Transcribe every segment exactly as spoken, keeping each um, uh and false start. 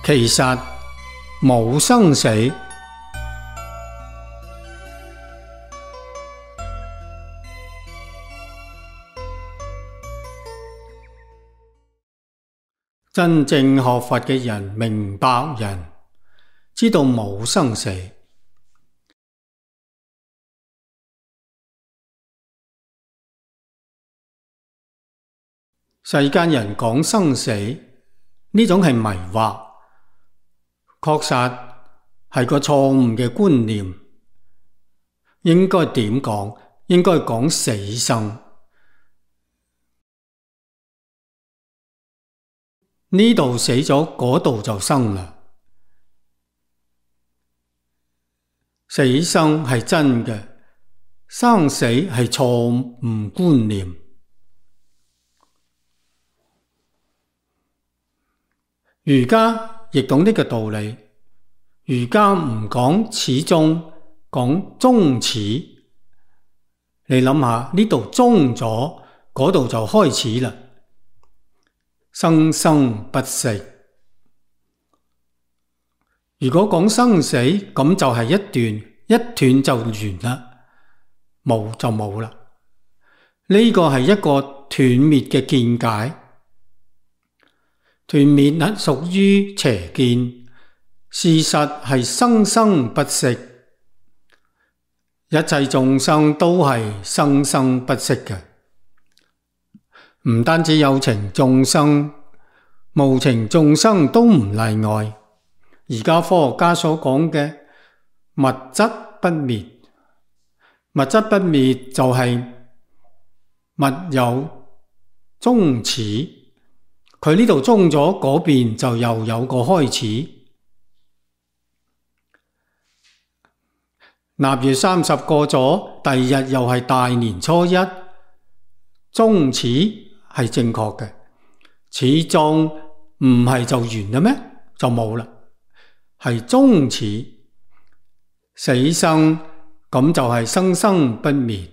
其實冇生死。真正學佛嘅人，明白人，知道冇生死。世間人講生死，呢種係迷惑，確實係個錯誤嘅觀念。應該點講？應該講死生。呢度死咗，嗰度就生啦。死生係真嘅，生死係錯誤觀念。儒家亦懂呢個道理，儒家唔講始終，講終始。你諗下，呢度終咗，嗰度就開始啦。生生不息。如果講生死，咁就係一斷，一斷就完啦，冇就冇啦。呢個係一個斷滅嘅見解。斷滅係屬於邪見，事實係生生不息。一切眾生都係生生不息嘅。唔單止有情眾生，無情眾生都唔例外。而家科學家所講嘅物質不滅，物質不滅就係物有終始，佢呢度終咗，嗰邊就又有個開始。臘月三十過咗，第二日又係大年初一，終始係正確嘅，始終唔係就完啦咩？就冇啦，係終始。死生咁就係生生不滅。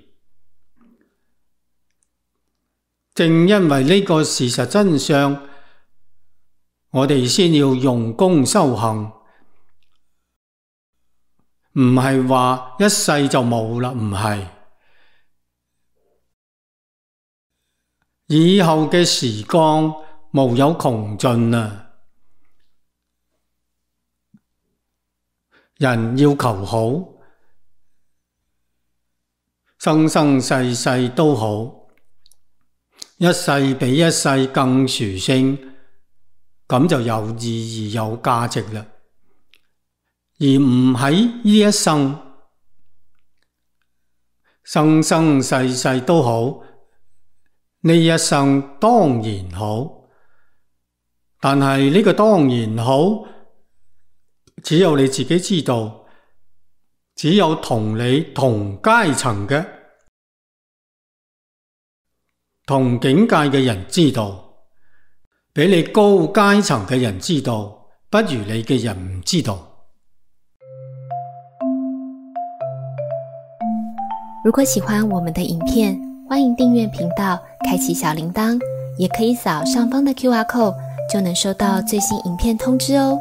正因為呢個事實真相，我哋先要用功修行，唔係話一世就冇啦，唔係。以後嘅時光無有窮盡啊！人要求好，生生世世都好，一世比一世更殊勝，咁就有意義有價值啦。而唔喺呢一生，生生世世都好，呢一生當然好，但係呢個當然好，只有你自己知道，只有同你同階層嘅、同境界嘅人知道，比你高階層嘅人知道，不如你嘅人唔知道。如果喜歡我們的影片，歡迎訂閱頻道，開啟小鈴鐺，也可以掃上方的 Q R code，就能收到最新影片通知哦。